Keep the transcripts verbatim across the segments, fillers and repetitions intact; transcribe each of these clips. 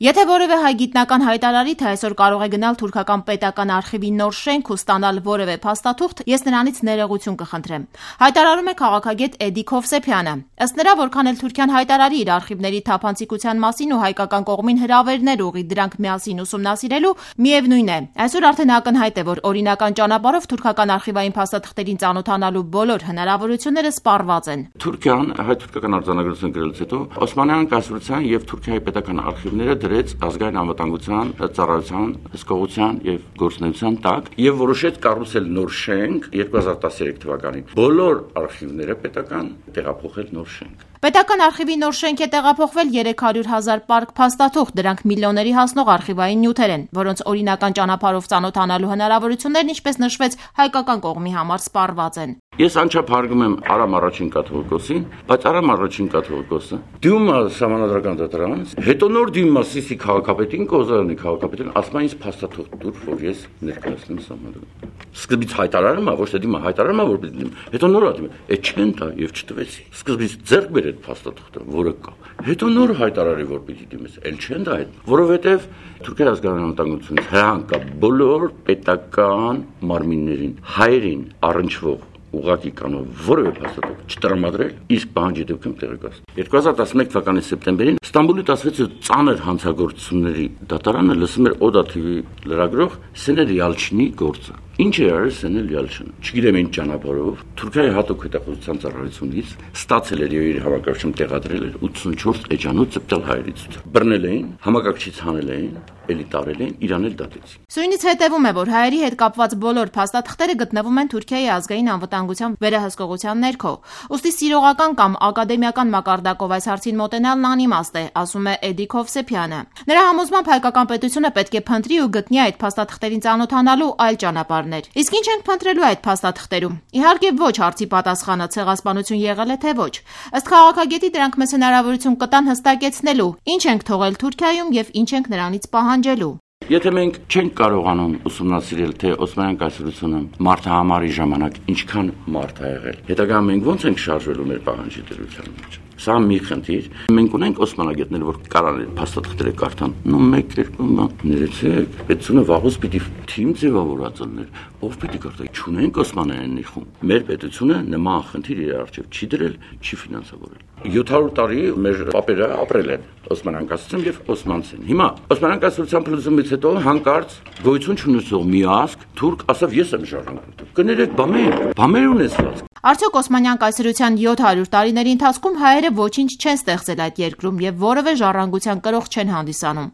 Եթե որևէ հայ գիտնական հայտարարի, թե այսօր կարող է գնալ թուրքական պետական արխիվի նոր շենք ու ստանալ որևէ փաստաթուղթ, ես նրանից ներողություն կխնդրեմ։ Հայտարարում է քաղաքագետ Էդիկ Հովսեփյանը։ Ըստ նրա, որքան էլ Թուրքիան հայտարարի իր արխիվների թափանցիկության մասին ու հայկական կողմին հրավերներ ուղի դրանք միասին ուսումնասիրելու, միևնույն է, այսօր արդեն ակնհայտ է, որ օրինական ճանապարհով թուրքական արխիվային փաստաթղթերին ծանոթանալու բոլոր հնարավորությունները սպառված են։ Թուրքիան հայ-թուրքական արձանագրություն գրելուց հետո Օսմանյան կայսրության եւ Թուրքիայի պետական արխիվները դրեց ազգային անվտանգության, ծառայության, հսկողության եւ գործունեության տակ եւ որոշեց կառուցել նոր շենք երկու հազար տասներեք թվականին։ Բոլոր արխիվները պետական տեղափոխել նոր շենք։ Պետական արխիվի նոր շենք է տեղափոխվել երեք հարյուր հազար պարկ փաստաթուղթ, դրանք միլիոնների հասնող արխիվային նյութեր են, որոնց օրինական ճանապարհով ծանոթանալու հնարավորություններն, ինչպես նշվեց, հայկական կողմի համար սպառված են։ Ես անչափ հարգում եմ Արամ առաջին կաթողիկոսին, բայց Արամ առաջին կաթողիկոսը դիմում է Սահմանադրական դատարան, հետո նոր դիմում է Սիսի քաղաքապետին, Կոզարյանի քաղաքապետին, ասում է ինձ փաստաթուղթ տուր, որ ես ներկայացնեմ Սահմանադրական։ Սկզբից հայտարարում է, ոչ թե դիմը հայտարարում է, որ պիտի դիմեմ, հետո նոր ադիմ է, է չեն տա եւ չտվեցի։ Սկզբից ձեռք բեր այդ փաստաթուղթը, որը կա։ Հետո նոր հայտարարի, որ պիտի դիմես, էլ չեն տա այդ, որովհետեւ Թուրքիայի ազգային անվտանգությունից հրահանգ կա բոլոր պետական մարմիններին, հայերին առնչվող ուղղակի կանով որևէ փաստաթուղթ չտրամադրել, իսկ պահանջի դեպքում տեղեկացնել։ երկու հազար տասնմեկ թվականի սեպտեմբերին Ստամբուլի տասնվեց ծանր հանցագործությունների դատարանը լսում էր Օդա թիվի լրագրող Սենել Յալչինի գործը։ Ինչ է արել Սենել Յալչինը։ Չգիտեմ ինչ ճանապարհով Թուրքիայի հատուկ հետախուզության ծառայությունից ստացել էր եւ իր համակարգչում տեղադրել էր ութսունչորս էջանոց ծպտալ հայերից։ Բռնել էին, համակարգչից հանել էին, էլի տարել էին, իրան էլ դատեցին։ Սույնից հետևում է, որ հայերի հետ կապված բոլոր փաստաթղթերը գտնվում են Թուրքիայի ազգային անվտանգության վերահսկողության ներքո։ Ուստի սիրողական կամ ակադեմիական մակարդակով այս հարցին մոտենալն անիմաստ է, ասում է Էդիկ Հովսեփյանը։ Նրա համոզմամբ հայկական պետությունը պետք է փնտրի ու գտնի այդ փաստաթղթերին ծանոթանալու այլ ճանապարհներ։ Իսկ ինչ ենք փնտրելու այդ փաստաթղթերում։ Իհարկե ոչ, հարցի պատասխանը ցեղասպանություն եղել է թե ոչ։ Ըստ քաղաքագետի դրանք մեզ հնարավորություն կտան հստակեցնելու, ինչ ենք թողել Թուրքիայում եւ ինչ ենք նրանից պահանջելու։ Եթե մենք չենք կարողանում ուսումնասիրել, թե Օսմանյան կայսրությունը մարդահամարի ժամանակ ինչքան մարդ ա եղել, հետագայում մենք ո՞նց ենք շարժվելու մեր պահանջի դրության մեջ։ Սա մի խնդիր։ Մենք ունենք օսմանագետներ, որ կարան այդ փաստաթղթերը կարդան։ Նո մեկ երկու ներեցեք, պետությունը վաղուց պիտի թիմ ձևավորած լիներ։ Ով պիտի կարդա։ Չունենք օսմանյանների խումբ։ Մեր պետությունը նման խնդիր իր առջև չի դրել, չի ֆինանսավորել։ յոթ հարյուր տարի մեր պապերը ապրել են Օսմանյան կայսրությամբ եւ օսմանցին։ Հիմա Օսմանյան կայսրության փլուզումից հետո հանկարծ գոյություն չունեցող մի ազգ թուրք ասավ ես եմ ժառանգում։ Կներեք, բամեր, բամեր ունեցված։ Արդյոք Օսմանյան կայսրության յոթ հարյուր տարիների ընթացքում հայերը ոչինչ չեն ստեղծել այդ երկրում եւ որևէ ժառանգության կրող չեն հանդիսանում։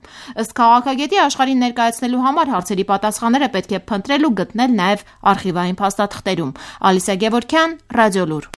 Ըստ քաղաքագետի, աշխարհին ներկայացնելու համար հարցերի պատասխանները պետք է փնտրել ու գտնել նաեւ արխիվային փաստաթղթերում։ Ալիսա Գևորգյան, Ռադիոլուր։